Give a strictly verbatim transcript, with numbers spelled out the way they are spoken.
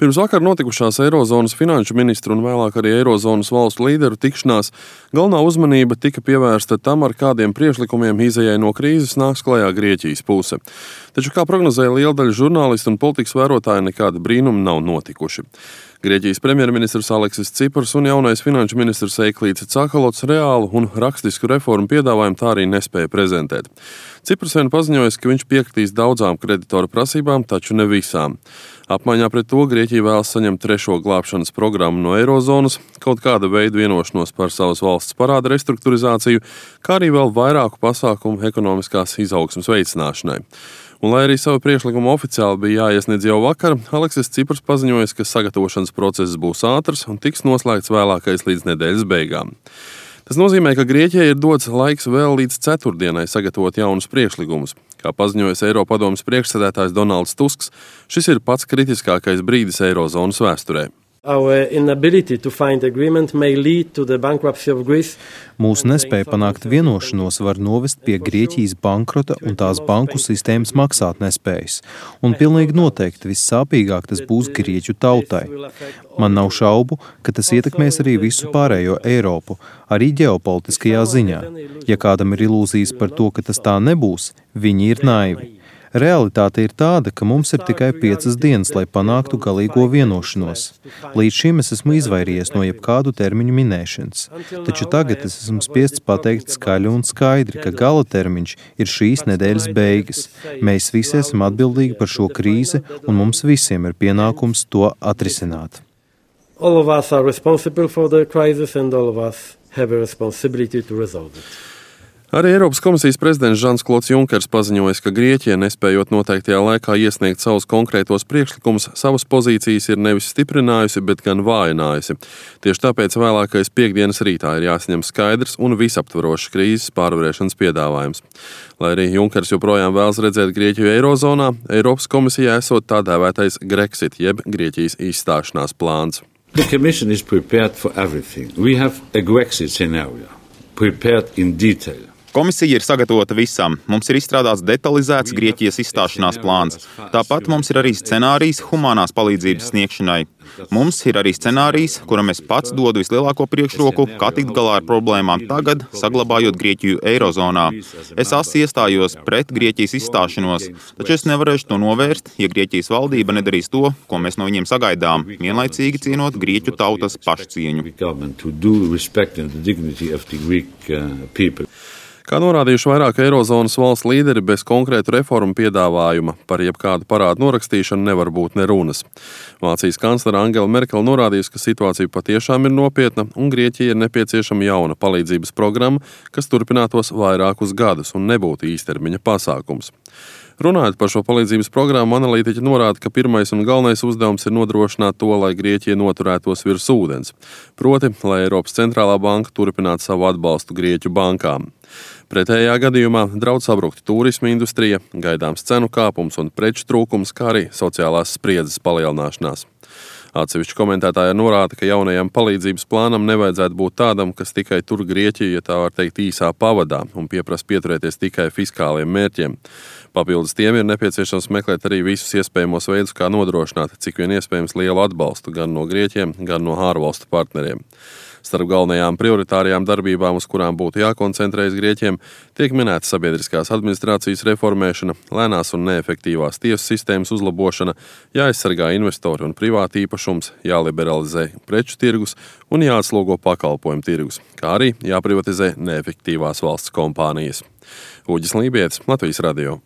Pirms vakar notikušās Eirozonas finanšu ministru un vēlāk arī Eirozonas valstu līderu tikšanās galvenā uzmanība tika pievērsta tam, ar kādiem priekšlikumiem izejai no krīzes nāks klajā Grieķijas puse. Taču, kā prognozēja liela daļa žurnālistu un politikas vērotāji, nekādi brīnumi nav notikuši. Grieķijas premjerministrs Aleksis Cipras un jaunais finanšu ministrs Eiklīds Cakalots reālu un rakstisku reformu piedāvājumu tā arī nespēja prezentēt. Cipras vien paziņoja, ka viņš piekritīs daudzām kreditoru prasībām, taču ne visām. Apmaiņā pret to Grieķija vēlas saņemt trešo glābšanas programmu no Eirozonas, kaut kāda veida vienošanos par savas valsts parāda restruktūrizāciju, kā arī vēl vairāku pasākumu ekonomiskās izaugsmes veicināšanai. Un, lai arī savu priekšlikumu oficiāli bija jāiesniedz jau vakar, Aleksis Cipras paziņoja, ka sagatavošanas process būs ātrs un tiks noslēgts vēlākais līdz nedēļas beigām. Tas nozīmē, ka Grieķijai ir dots laiks vēl līdz ceturtdienai sagatavot jaunus priekšlikumus. Kā paziņojas Eiropadomes priekšsēdētājs Donalds Tusks, šis ir pats kritiskākais brīdis Eirozonas vēsturē. Mūsu nespēja panākt vienošanos var novest pie Grieķijas bankrota un tās banku sistēmas maksātnespējas. Un pilnīgi noteikti vissāpīgāk tas būs Grieķu tautai. Man nav šaubu, ka tas ietekmēs arī visu pārējo Eiropu, arī ģeopolitiskajā ziņā. Ja kādam ir ilūzijas par to, ka tas tā nebūs, viņi ir naivi. Realitāte ir tāda, ka mums ir tikai piecas dienas, lai panāktu galīgo vienošanos. Līdz šim es esmu izvairījies no jebkādu termiņu minēšanas. Taču tagad es esmu spiests pateikt skaļi un skaidri, ka gala termiņš ir šīs nedēļas beigas. Mēs visi esam atbildīgi par šo krīzi, un mums visiem ir pienākums to atrisināt. All of us are responsible for the crisis and all of us have a responsibility to resolve it. Arī Eiropas komisijas prezidents Žans-Klods Junkers paziņoja, ka Grieķija, nespējot noteiktajā laikā iesniegt savus konkrētos priekšlikumus, savas pozīcijas ir nevis stiprinājusi, bet gan vājinājusi. Tieši tāpēc vēlākais piekdienas rītā ir jāsaņem skaidrs un visaptvarošs krīzes pārvarēšanas piedāvājums. Lai arī Junkers joprojām vēlas redzēt Grieķiju Eirozonā, Eiropas komisijā esot tā dēvētais Grexit, jeb Grieķijas izstāšanās plāns. The Commission is prepared for everything. We have a Grexit scenario, prepared in detail. Komisija ir sagatavota visam. Mums ir izstrādāts detalizēts Grieķijas izstāšanās plāns. Tāpat mums ir arī scenārijs humanās palīdzības sniegšanai. Mums ir arī scenārijs, kuram es pats dodu vislielāko priekšroku, kā tikt galā ar problēmām tagad, saglabājot Grieķiju Eirozonā. Es asi iestājos pret Grieķijas izstāšanos, taču es nevarēšu to novērst, ja Grieķijas valdība nedarīs to, ko mēs no viņiem sagaidām, vienlaicīgi cienot Grieķu tautas pašcieņu. Kā norādījuši vairāk Eirozonas valsts līderi, bez konkrētu reformu piedāvājuma par jebkādu parādu norakstīšanu nevar būt ne runas. Vācijas kanclere Angela Merkele norādījusi, ka situācija patiešām ir nopietna un Grieķija ir nepieciešama jauna palīdzības programma, kas turpinātos vairākus gadus un nebūtu īstermiņa pasākums. Runājot par šo palīdzības programmu, analītiķi norāda, ka pirmais un galvenais uzdevums ir nodrošināt to, lai Grieķija noturētos virs ūdens. Proti, lai Eiropas centrālā banka turpinātu savu atbalstu Grieķu bankām. Pretējā gadījumā draudz sabrukt turisma industrija, gaidāms cenu kāpums un preču trūkums, kā arī sociālās spriedzes palielināšanās. Atsevišķi komentētāji norāda, ka jaunajam palīdzības plānam nevajadzētu būt tādam, kas tikai tur Grieķiju, ja tā var teikt, īsā pavadā un pieprasa pieturēties tikai fiskāliem mērķiem. Papildus tiem ir nepieciešams meklēt arī visus iespējamos veidus, kā nodrošināt cik vien iespējams lielu atbalstu gan no Grieķiem, gan no ārvalstu partneriem. Starp galvenajām prioritārajām darbībām, uz kurām būtu jākoncentrējas Grieķiem, tiek minēta sabiedriskās administrācijas reformēšana, lēnās un neefektīvās tiesu sistēmas uzlabošana, jāaizsargā investori un privāti īpašums, jāliberalizē preču tirgus un jāatslogo pakalpojumu tirgus, kā arī jāprivatizē neefektīvās valsts kompānijas. Uģis Lībietis, Latvijas radio.